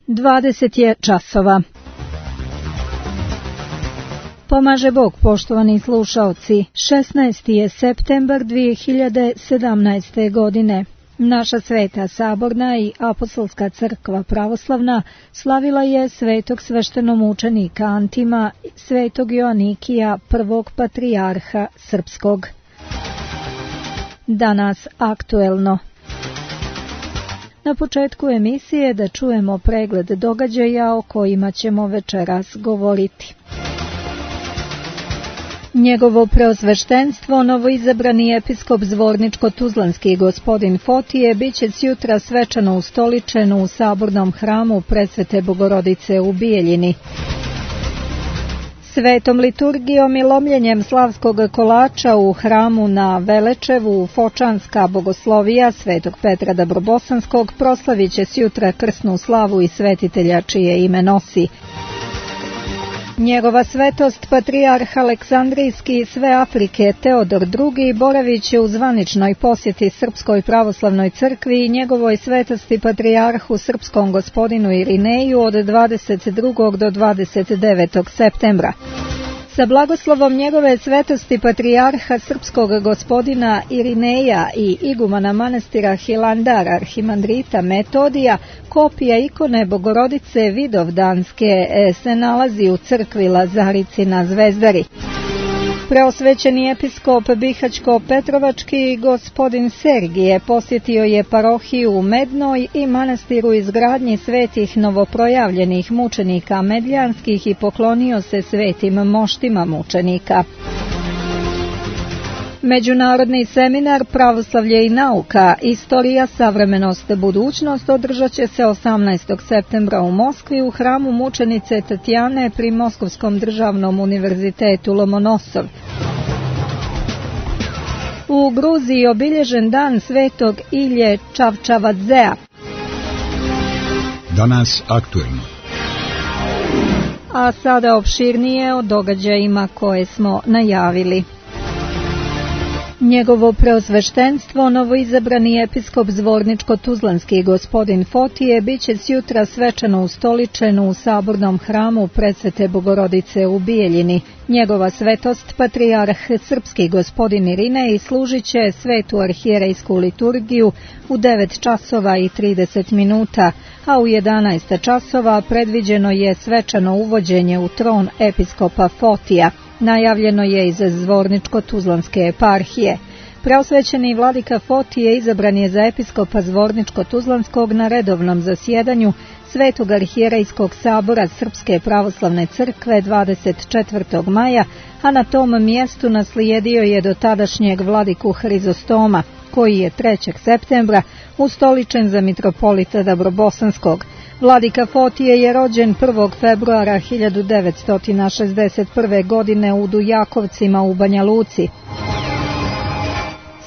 20 je časova. Pomaže Bog, poštovani slušaoci. 16. je septembar 2017. godine. Naša sveta saborna i apostolska crkva pravoslavna slavila je svetog sveštenomučenika Antima, svetog Joanikija, prvog patrijarha srpskog. Danas aktuelno. Na početku emisije da čujemo pregled događaja o kojima ćemo večeras govoriti. Njegovo preosveštenstvo, novoizabrani episkop Zvorničko-Tuzlanski gospodin Fotije, bit će sjutra svečano ustoličen u sabornom hramu Presvete Bogorodice u Bijeljini. Svetom liturgijom i lomljenjem slavskog kolača u hramu na Velečevu Fočanska bogoslovija Svetog Petra Dabrobosanskog proslavit će sjutra krsnu slavu i svetitelja čije ime nosi. Njegova svetost, patrijarh Aleksandrijski sve Afrike Teodor II, boravit će u zvaničnoj posjeti Srpskoj pravoslavnoj crkvi i njegovoj svetosti patrijarhu srpskom gospodinu Irineju od 22. do 29. septembra. Sa blagoslovom njegove svetosti patrijarha srpskog gospodina Irineja i igumana manastira Hilandar arhimandrita Metodija, kopija ikone Bogorodice Vidovdanske se nalazi u crkvi Lazarici na Zvezdari. Preosvećeni episkop Bihaćko-Petrovački gospodin Sergije posjetio je parohiju u Mednoj i manastir u izgradnji svetih novoprojavljenih mučenika medljanskih i poklonio se svetim moštima mučenika. Međunarodni seminar Pravoslavlje i nauka, istorija, savremenost, budućnost održat će se 18. septembra u Moskvi u hramu mučenice Tatjane pri Moskovskom državnom univerzitetu Lomonosov. U Gruziji obilježen dan svetog Ilje Čavčavadzea. Danas aktuelno. A sada opširnije o događajima koje smo najavili. Njegovo preosveštenstvo, novoizabrani episkop Zvorničko-Tuzlanski gospodin Fotije, bit će sjutra svečano ustoličen u sabornom hramu Presvete Bogorodice u Bijeljini. Njegova svetost, patrijarh srpski gospodin Irinej, služit će svetu arhijerejsku liturgiju u 9 časova i 30 minuta, a u 11 časova predviđeno je svečano uvođenje u tron episkopa Fotija. Najavljeno je iz Zvorničko-Tuzlanske eparhije. Preosvećeni vladika Fotije izabran je za episkopa Zvorničko-Tuzlanskog na redovnom zasjedanju Svetog arhijerejskog sabora Srpske pravoslavne crkve 24. maja, a na tom mjestu naslijedio je do tadašnjeg vladiku Hrizostoma, koji je 3. septembra ustoličen za mitropolita Dabrobosanskog. Vladika Fotije je rođen 1. februara 1961. godine u Dujakovcima u Banja Luci.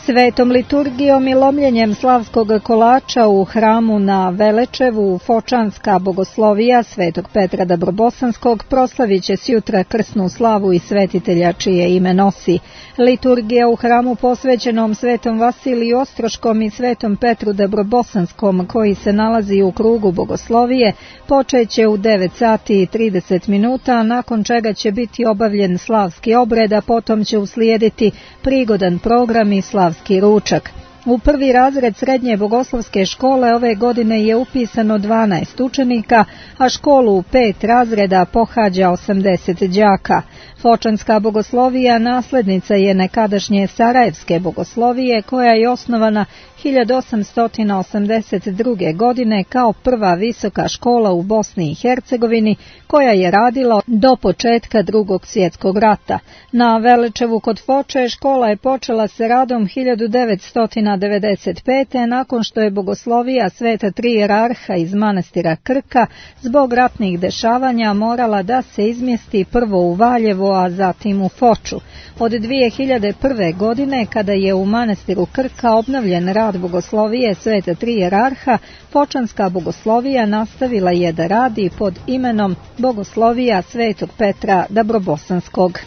Svetom liturgijom i lomljenjem slavskog kolača u hramu na Velečevu Fočanska bogoslovija Svetog Petra Dabrobosanskog proslavit će sjutra krsnu slavu i svetitelja čije ime nosi. Liturgija u hramu posvećenom Svetom Vasiliju Ostroškom i Svetom Petru Dabrobosanskom, koji se nalazi u krugu bogoslovije, počeće u 9 sati i 30 minuta, nakon čega će biti obavljen slavski obred, a potom će uslijediti prigodan program i slavski ručak. U prvi razred srednje bogoslovske škole ove godine je upisano 12 učenika, a školu u 5 razreda pohađa 80 đaka. Fočanska bogoslovija naslednica je nekadašnje Sarajevske bogoslovije, koja je osnovana 1882. godine kao prva visoka škola u Bosni i Hercegovini, koja je radila do početka Drugog svjetskog rata. Na Velečevu kod Foče škola je počela sa radom 1995. nakon što je bogoslovija Sveta Tri jerarha iz manastira Krka zbog ratnih dešavanja morala da se izmjesti prvo u Valjevo, a zatim u Foču. Od 2001. godine, kada je u manastiru Krka obnovljen rad bogoslovije Sveta Tri jerarha, Fočanska bogoslovija nastavila je da radi pod imenom Bogoslovija Svetog Petra Dabrobosanskog.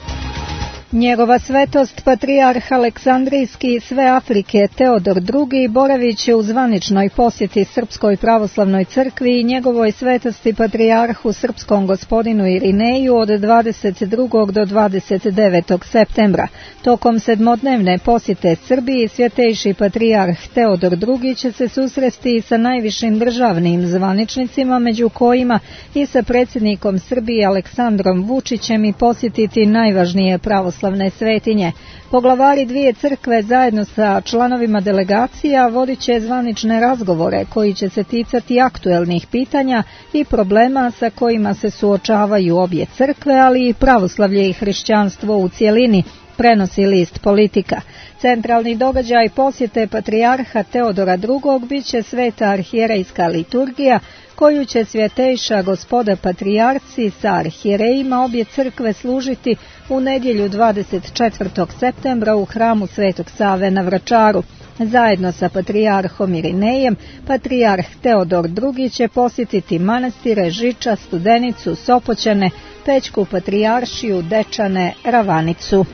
Njegova svetost patrijarh Aleksandrijski sve Afrike Teodor II boravit će u zvaničnoj posjeti Srpskoj pravoslavnoj crkvi i njegovoj svetosti patrijarhu srpskom gospodinu Irineju od 22. do 29. septembra. Tokom sedmodnevne posjete Srbiji svjetejši patrijarh Teodor II će se susresti sa najvišim državnim zvaničnicima, među kojima i sa predsjednikom Srbije Aleksandrom Vučićem, i posjetiti najvažnije pravoslavne svetinje. Poglavari dvije crkve zajedno sa članovima delegacija vodit će zvanične razgovore koji će se ticati aktuelnih pitanja i problema sa kojima se suočavaju obje crkve, ali i pravoslavlje i hrišćanstvo u cjelini, prenosi list Politika. Centralni događaj posjete patrijarha Teodora II bit će sveta arhijerejska liturgija, koju će svjetejša gospoda patrijarci sa arhijerejima obje crkve služiti u nedjelju 24. septembra u hramu Svetog Save na Vračaru. Zajedno sa patrijarhom Irinejem, patrijarh Teodor II će posjetiti manastire Žiča, Studenicu, Sopoćane, Pećku patrijaršiju, Dečane, Ravanicu.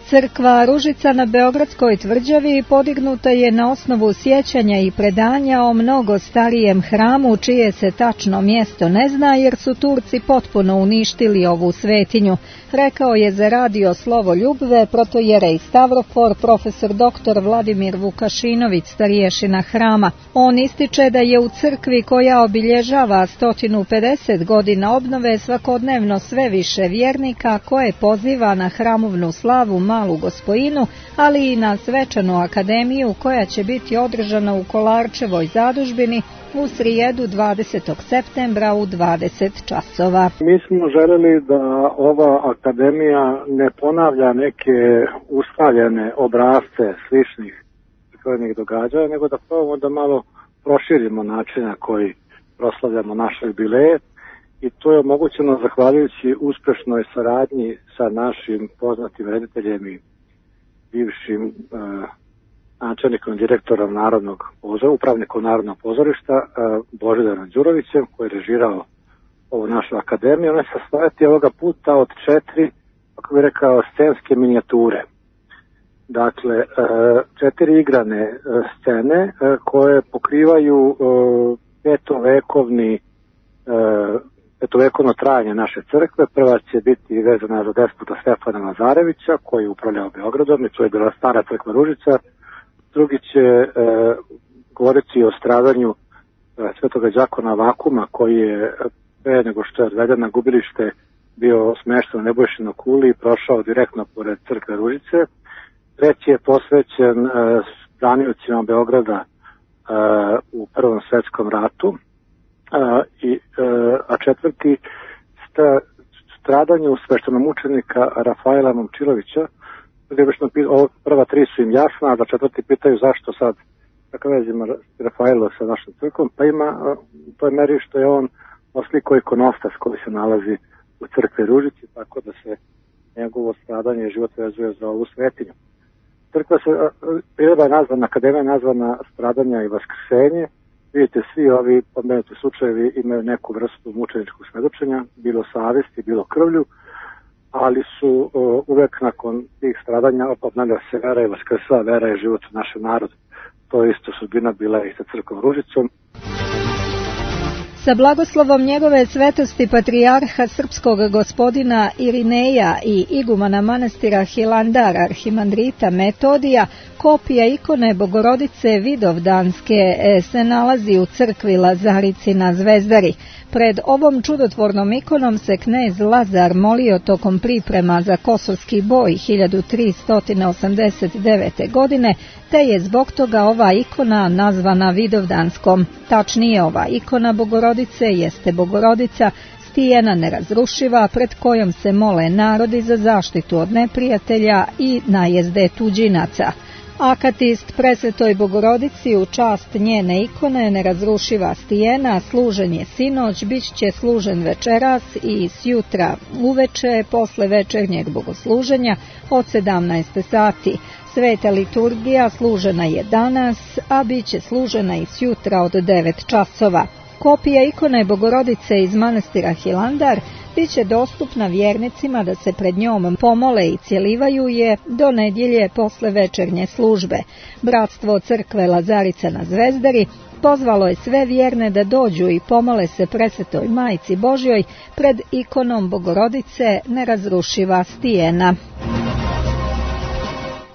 Crkva Ružica na Beogradskoj tvrđavi podignuta je na osnovu sjećanja i predanja o mnogo starijem hramu, čije se tačno mjesto ne zna jer su Turci potpuno uništili ovu svetinju, rekao je za radio Slovo Ljubve protojerej Stavrofor profesor dr. Vladimir Vukašinović, starješina hrama. On ističe da je u crkvi koja obilježava 150 godina obnove svakodnevno sve više vjernika koje poziva na hramovnu slavu Malu Gospojinu, ali i na svečanu akademiju koja će biti održana u Kolarčevoj zadužbini u srijedu 20. septembra u 20 časova. Mi smo želeli da ova akademija ne ponavlja neke ustaljene obrasce sličnih prirodnih događaja, nego da probamo da malo proširimo način na koji proslavljamo naše jubileje, i to je omogućeno zahvaljujući uspešnoj saradnji sa našim poznatim rediteljem i bivšim načelnikom, direktorom upravnikom Narodnog pozorišta Božidarom Đurovićem, koji je režirao ovu našu akademiju. Ona se sastojati ovoga puta od 4, kako bih rekao, scenske minijature. Dakle, 4 igrane scene koje pokrivaju petovekovno trajanje naše crkve. Prva će biti vezana za despota Stefana Lazarevića, koji je upravljao Beogradom, i to je bila stara crkva Ružica. Drugi će govoriti o stradanju svetoga đakona Vakuma, koji je pre nego što je odveden na gubilište bio smešten na Nebojšinoj kuli i prošao direktno pored crkve Ružice. Treći je posvećen braniocima Beograda u Prvom svetskom ratu, a četvrti stradanju sveštenomučenika Rafaela Momčilovića. Prva 3 su im jasna, a da četvrti pitaju zašto sad kakva veze ima Rafaelo sa našom crkvom, pa ima to je meri što je on oslikao ikonostas koji se nalazi u crkvi Ružici, tako da se njegovo stradanje i život vezuje za ovu svetinju. Crkva je nazvana, akademija je nazvana Stradanja i vaskrsenje. Vidite, svi ovi pomenuti slučajevi imaju neku vrstu mučeničkog svedočenja, bilo savjesti, bilo krvlju, ali su uvek nakon tih stradanja obnavlja se vera i vaskrsla vera i život u našem narodu. To je isto sudbina bila i sa crkvom Ružicom. Sa blagoslovom njegove svetosti patrijarha srpskog gospodina Irineja i igumana manastira Hilandar arhimandrita Metodija, kopija ikone Bogorodice Vidovdanske se nalazi u crkvi Lazarici na Zvezdari. Pred ovom čudotvornom ikonom se knez Lazar molio tokom priprema za Kosovski boj 1389. godine, te je zbog toga ova ikona nazvana Vidovdanskom. Tačnije, ova ikona Bogorodice jeste Bogorodica, stijena nerazrušiva, pred kojom se mole narodi za zaštitu od neprijatelja i najezde tuđinaca. Akatist presvetoj Bogorodici u čast njene ikone nerazrušiva stijena služen je sinoć, bit će služen večeras i sjutra uveče posle večernjeg bogosluženja od 17 sati. Sveta liturgija služena je danas, a bit će služena i sjutra od 9 časova. Kopija ikone Bogorodice iz manastira Hilandar biće dostupna vjernicima da se pred njom pomole i cjelivaju je do nedjelje posle večernje službe. Bratstvo crkve Lazarica na Zvezdari pozvalo je sve vjerne da dođu i pomole se Presvetoj Majci Božjoj pred ikonom Bogorodice nerazrušiva stijena.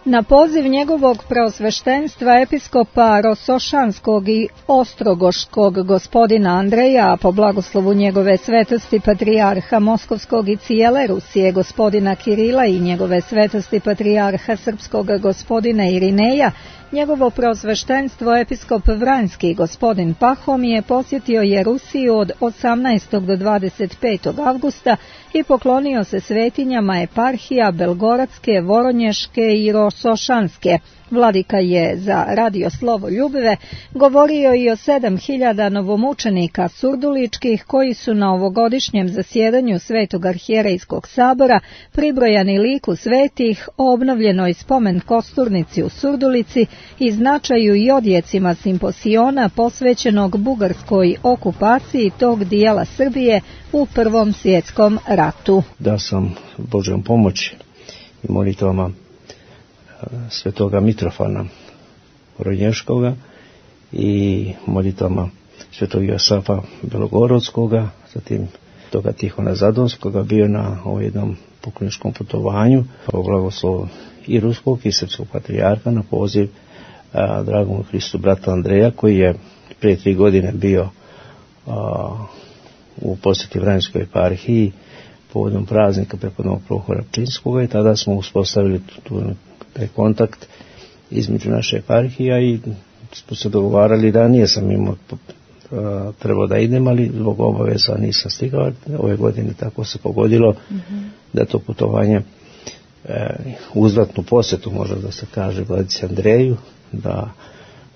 Na poziv njegovog preosveštenstva episkopa Rosošanskog i Ostrogoškog gospodina Andreja, a po blagoslovu njegove svetosti patrijarha Moskovskog i cijele Rusije gospodina Kirila i njegove svetosti patrijarha Srpskog gospodina Irineja, njegovo preosveštenstvo episkop Vranjski gospodin Pahomije posjetio je Rusiju od 18. do 25. avgusta i poklonio se svetinjama eparhija Belgoradske, Voronješke i Rosošanske. Vladika je za Radio Slovo Ljubive govorio i o 7000 novomučenika surduličkih koji su na ovogodišnjem zasjedanju Svetog arhijerejskog sabora pribrojani liku svetih, obnovljenoj spomen kosturnici u Surdulici i značaju i odjecima simposiona posvećenog bugarskoj okupaciji tog dijela Srbije u Prvom svjetskom ratu. Da sam Božjom pomoći i molitvama svetoga Mitrofana Voronješkoga i molitvama svetog Josafa Belogorodskoga, zatim toga Tihona Zadonskoga, bio na ovom jednom pokloničkom putovanju po blagoslovu i ruskog i srpskog patrijarha na poziv dragom Hristu brata Andreja, koji je prije 3 godine bio u posjeti Vranjskoj eparhiji povodom praznika prepodnog Prohora Pčinskoga i tada smo uspostavili taj kontakt između naše eparhija i smo se dogovarali da nije sam imao trebao da idem, ali zbog obaveza nisam stigao. Ove godine tako se pogodilo da to putovanje uzvratnu posjetu, možda da se kaže, vladici Andreju, da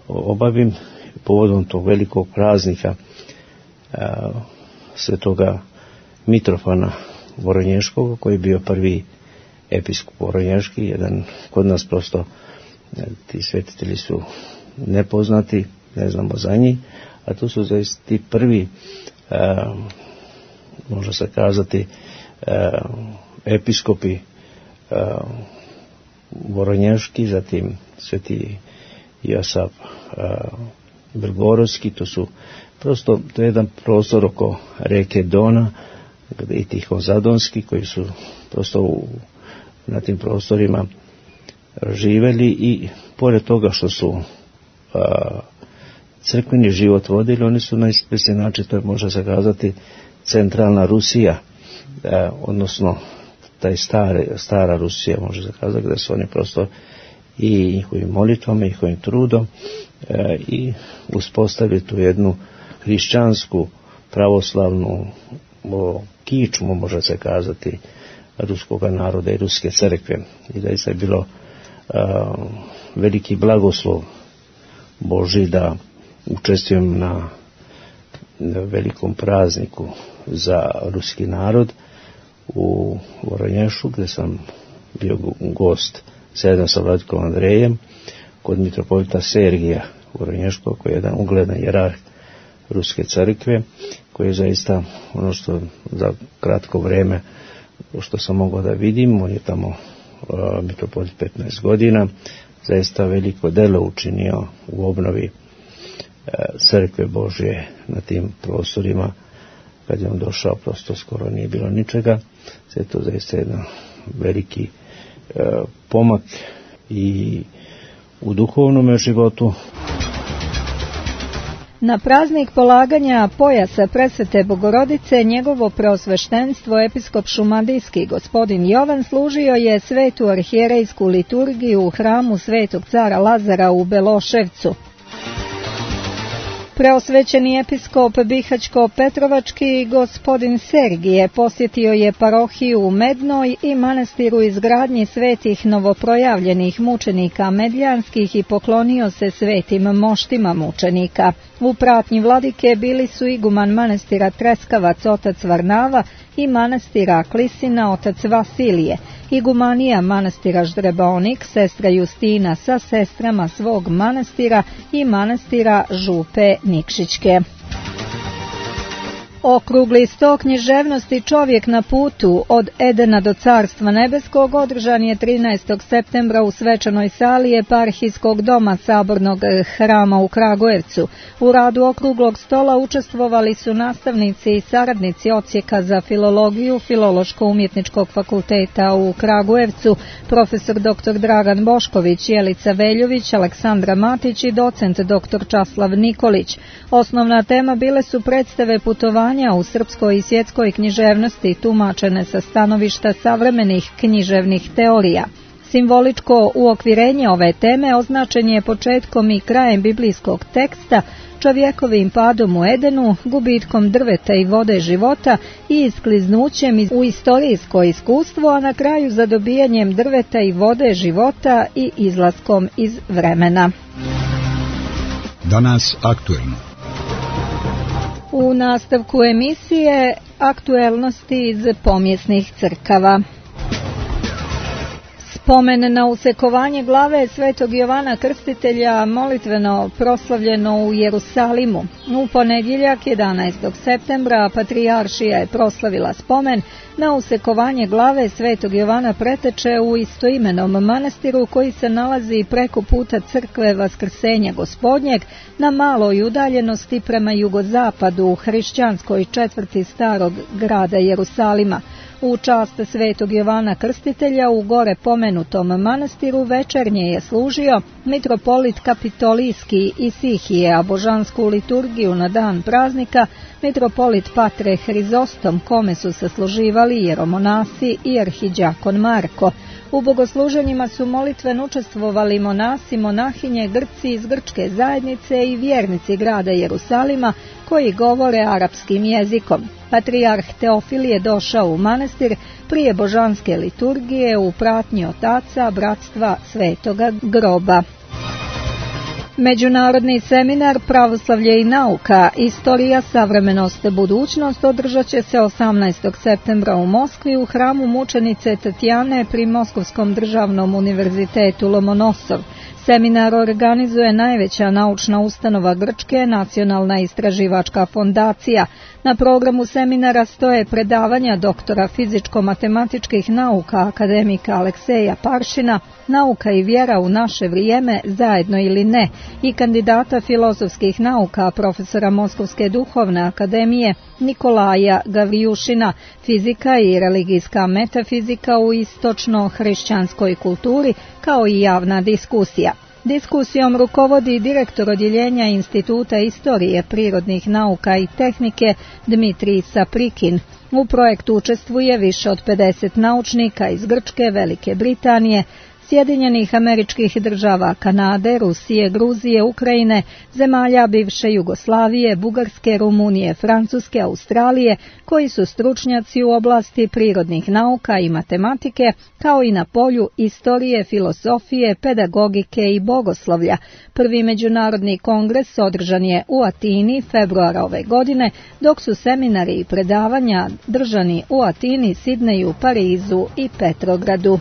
obavim povodom tog velikog praznika svetoga Mitrofana Voronješkog, koji je bio prvi episkop Voronješki, jedan kod nas prosto ti svetitelji su nepoznati, ne znamo za njih, a to su zaista ti prvi, može se kazati, episkopi Voronješki, zatim sveti Josaf Belgorodski, to su prosto, to je jedan prostor oko reke Dona i Tihon Zadonski, koji su prosto na tim prostorima živeli i pored toga što su crkveni život vodili, oni su na ispresni način, to je može se kazati centralna Rusija, odnosno taj stara Rusija, može se kazati, da su oni prosto i njihovim molitvama, njihovim trudom i uspostavili tu jednu hrišćansku, pravoslavnu kičmu, može se kazati, ruskoga naroda i ruske crkve. I da je bilo veliki blagoslov Božji da učestvujem na velikom prazniku za ruski narod u Voronješu, gdje sam bio gost zajedno sa vladikom Andrejem kod mitropolita Sergija Voronješkog, koji je jedan ugledan jerarh ruske crkve, koji je zaista ono što za kratko vreme što sam mogao da vidim, on je tamo mitropolit 15 godina, zaista veliko delo učinio u obnovi crkve Božje na tim prostorima. Kad je on došao, prosto skoro nije bilo ničega. Sve to zaista jedan veliki pomak i u duhovnom životu. Na praznik polaganja pojasa Presvete Bogorodice njegovo preosveštenstvo episkop šumadijski gospodin Jovan služio je svetu arhijerejsku liturgiju u hramu Svetog cara Lazara u Beloševcu. Preosvećeni episkop Bihaćko-Petrovački gospodin Sergije posjetio je parohiju u Mednoj i manastir u izgradnji svetih novoprojavljenih mučenika medljanskih i poklonio se svetim moštima mučenika. U pratnji vladike bili su iguman manastira Treskavac otac Varnava i manastira Klisina otac Vasilije, igumanija manastira Ždrebaonik sestra Justina sa sestrama svog manastira i manastira Župe Nikšićke. Okrugli sto književnosti Čovjek na putu od Edena do Carstva nebeskog održan je 13. septembra u svečanoj sali Eparhijskog doma Sabornog hrama u Kragujevcu. U radu okruglog stola učestvovali su nastavnici i saradnici odsjeka za filologiju Filološko-umjetničkog fakulteta u Kragujevcu, profesor dr. Dragan Bošković, Jelica Veljović, Aleksandra Matić i docent dr. Časlav Nikolić. Osnovna tema bile su predstave putovanja u srpskoj i svjetskoj književnosti tumačene sa stanovišta savremenih književnih teorija. Simboličko uokvirenje ove teme označen je početkom i krajem biblijskog teksta, čovjekovim padom u Edenu, gubitkom drveta i vode života i iskliznućem u istorijsko iskustvo, a na kraju zadobijanjem drveta i vode života i izlaskom iz vremena. Danas aktuelno. U nastavku emisije aktuelnosti iz pomjesnih crkava. Spomen na usekovanje glave Svetog Jovana Krstitelja molitveno proslavljeno u Jerusalimu. U ponedjeljak 11. septembra Patrijaršija je proslavila spomen na usekovanje glave Svetog Jovana Preteče u istoimenom manastiru koji se nalazi preko puta crkve Vaskrsenja Gospodnjeg na maloj udaljenosti prema jugozapadu u hrišćanskoj četvrti starog grada Jerusalima. U čast Svetog Jovana Krstitelja u gore pomenutom manastiru večernje je služio mitropolit Kapitolijski Isihije, a božansku liturgiju na dan praznika mitropolit Patre Hrizostom, kome su se služivali jeromonasi i arhidjakon Marko. U bogosluženjima su molitveno učestvovali monasi, monahinje, Grci iz grčke zajednice i vjernici grada Jerusalima koji govore arapskim jezikom. Patrijarh Teofil je došao u manastir prije božanske liturgije u pratnji otaca bratstva Svetoga groba. Međunarodni seminar Pravoslavlje i nauka, istorija, savremenost, budućnost održat će se 18. septembra u Moskvi u hramu mučenice Tatjane pri Moskovskom državnom univerzitetu Lomonosov. Seminar organizuje najveća naučna ustanova Grčke, Nacionalna istraživačka fondacija. Na programu seminara stoje predavanja doktora fizičko-matematičkih nauka akademika Alekseja Paršina, Nauka i vjera u naše vrijeme, zajedno ili ne, i kandidata filozofskih nauka profesora Moskovske duhovne akademije Nikolaja Gavrijušina, Fizika i religijska metafizika u istočno-hrišćanskoj kulturi, kao i javna diskusija. Diskusijom rukovodi direktor odjeljenja Instituta istorije, prirodnih nauka i tehnike Dmitrij Saprikin. U projektu učestvuje više od 50 naučnika iz Grčke, Velike Britanije, Sjedinjenih Američkih Država, Kanade, Rusije, Gruzije, Ukrajine, zemalja bivše Jugoslavije, Bugarske, Rumunije, Francuske, Australije, koji su stručnjaci u oblasti prirodnih nauka i matematike, kao i na polju istorije, filozofije, pedagogike i bogoslovlja. Prvi međunarodni kongres održan je u Atini februara ove godine, dok su seminari i predavanja držani u Atini, Sidneju, Parizu i Petrogradu.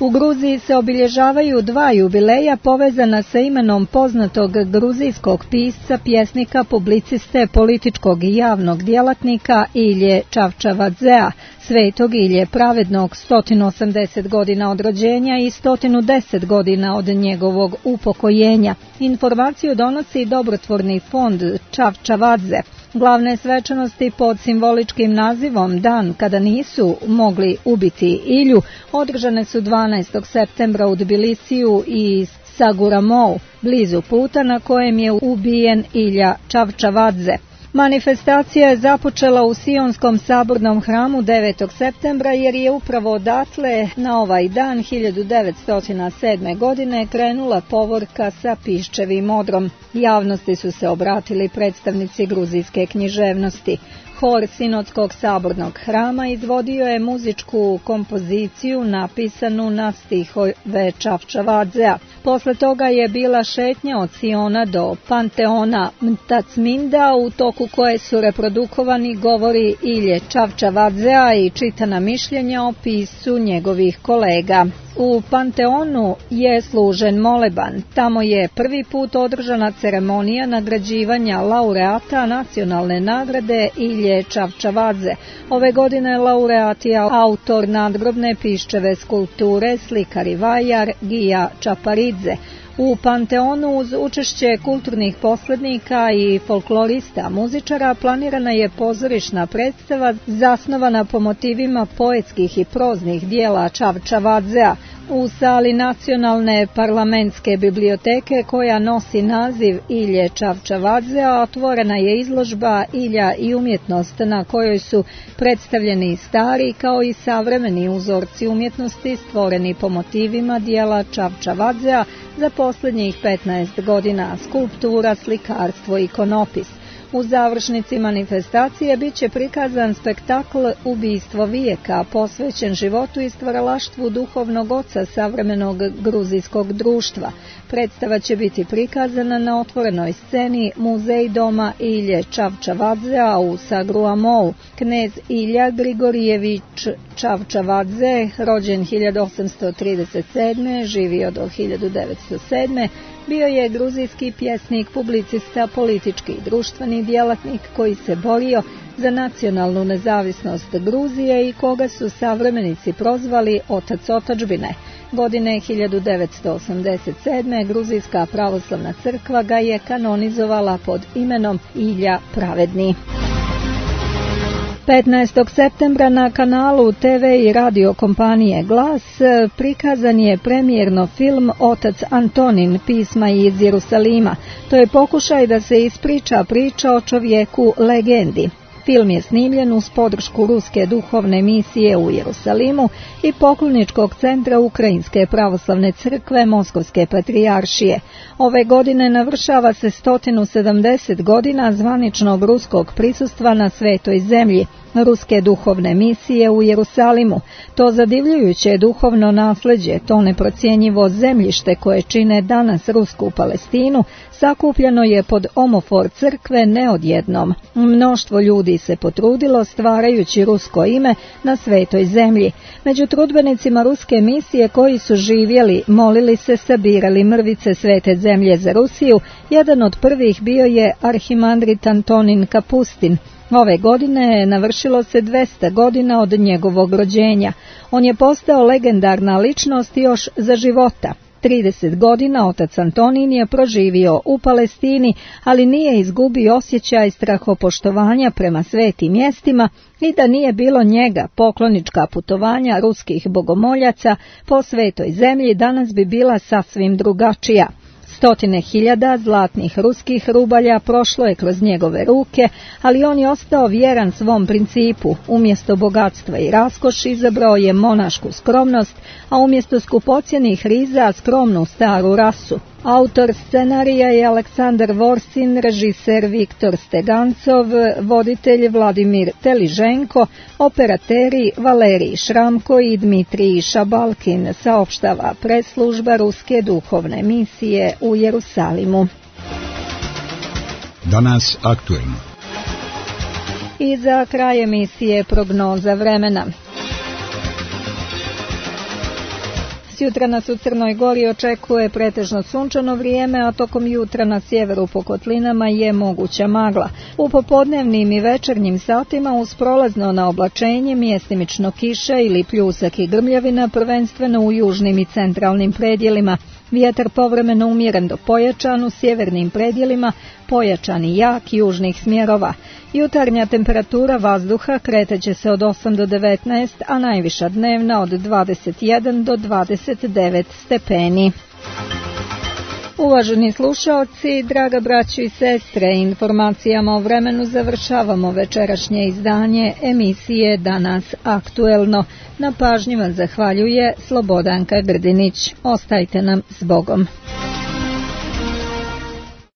U Gruziji se obilježavaju dva jubileja povezana sa imenom poznatog gruzijskog pisca, pjesnika, publiciste, političkog i javnog djelatnika Ilje Čavčavadzea, Svetog Ilje Pravednog, 180 godina od rođenja i 110 godina od njegovog upokojenja. Informaciju donosi dobrotvorni fond Čavčavadze. Glavne svečanosti pod simboličkim nazivom Dan kada nisu mogli ubiti Ilju održane su 12. septembra u Tbilisiju i Saguramou, blizu puta na kojem je ubijen Ilja Čavčavadze. Manifestacija je započela u Sionskom sabornom hramu 9. septembra jer je upravo odatle na ovaj dan 1907. godine krenula povorka sa piščevim odrom. Javnosti su se obratili predstavnici gruzijske književnosti. Hor Sinodskog sabornog hrama izvodio je muzičku kompoziciju napisanu na stihove Čavčavadzea. Posle toga je bila šetnja od Siona do Panteona Mtacminda, u toku koje su reprodukovani govori Ilje Čavčavadzea i čitana mišljenja o pisu njegovih kolega. U Panteonu je služen moleban. Tamo je prvi put održana ceremonija nagrađivanja laureata nacionalne nagrade Ilje Čavčavadze. Ove godine laureat je autor nadgrobne piščeve skulpture, slikar i vajar Gija Čaparidze. U Panteonu uz učešće kulturnih posrednika i folklorista muzičara planirana je pozorišna predstava zasnovana po motivima poetskih i proznih dijela Čavčavadzea. U sali Nacionalne parlamentske biblioteke koja nosi naziv Ilje Čavčavadzea otvorena je izložba Ilja i umjetnost na kojoj su predstavljeni stari kao i savremeni uzorci umjetnosti stvoreni po motivima dijela Čavčavadzea za posljednjih 15 godina, skulptura, slikarstvo i ikonopis. U završnici manifestacije bit će prikazan spektakl Ubistvo vijeka, posvećen životu i stvaralaštvu duhovnog oca savremenog gruzijskog društva. Predstava će biti prikazana na otvorenoj sceni Muzej doma Ilje Čavčavadzea u Sagruamou. Knez Ilja Grigorijević Čavčavadze, rođen 1837. živio do 1907. bio je gruzijski pjesnik, publicista, politički i društveni djelatnik koji se borio za nacionalnu nezavisnost Gruzije i koga su savremenici prozvali otac otadžbine. Godine 1987. Gruzijska pravoslavna crkva ga je kanonizovala pod imenom Ilja Pravedni. 15. septembra na kanalu TV i radio kompanije Glas prikazan je premijerno film Otac Antonin, pisma iz Jerusalima. To je pokušaj da se ispriča priča o čovjeku legendi. Film je snimljen uz podršku Ruske duhovne misije u Jerusalimu i pokloničkog centra Ukrajinske pravoslavne crkve Moskovske patrijaršije. Ove godine navršava se 170 godina zvaničnog ruskog prisustva na Svetoj zemlji, Ruske duhovne misije u Jerusalimu. To zadivljujuće duhovno nasljeđe, to neprocjenjivo zemljište koje čine danas Rusku Palestinu, sakupljeno je pod omofor crkve neodjednom. Mnoštvo ljudi se potrudilo stvarajući rusko ime na Svetoj zemlji. Među trudbenicima Ruske misije koji su živjeli, molili se, sabirali mrvice Svete zemlje za Rusiju, jedan od prvih bio je arhimandrit Antonin Kapustin. Ove godine navršilo se 200 godina od njegovog rođenja. On je postao legendarna ličnost još za života. 30 godina otac Antonin je proživio u Palestini, ali nije izgubio osjećaj strahopoštovanja prema svetim mjestima i da nije bilo njega, poklonička putovanja ruskih bogomoljaca po Svetoj zemlji danas bi bila sasvim drugačija. 100.000 zlatnih ruskih rubalja prošlo je kroz njegove ruke, ali on je ostao vjeran svom principu. Umjesto bogatstva i raskoši izabrao je monašku skromnost, a umjesto skupocjenih riza skromnu staru rasu. Autor scenarija je Aleksandar Vorsin, režiser Viktor Stegancov, voditelj Vladimir Teliženko, operateri Valerij Šramko i Dmitrij Šabalkin, saopštava press-služba Ruske duhovne misije u Jerusalimu. Danas aktuelno. I za kraj emisije prognoza vremena. Jutra nas u Crnoj Gori očekuje pretežno sunčano vrijeme, a tokom jutra na sjeveru po kotlinama je moguća magla. U popodnevnim i večernjim satima uz prolazno na oblačenje, mjestimično kiša ili pljusak i grmljavina, prvenstveno u južnim i centralnim predjelima. Vjetar povremeno umjeren do pojačan, u sjevernim predjelima pojačan i jak južnih smjerova. Jutarnja temperatura vazduha kretat se od 8 do 19, a najviša dnevna od 21 do 29 stepeni. Uvaženi slušaoci, draga braćo i sestre, informacijama o vremenu završavamo večerašnje izdanje emisije Danas aktuelno. Na pažnji vam zahvaljuje Slobodanka Grdinić. Ostajte nam s Bogom.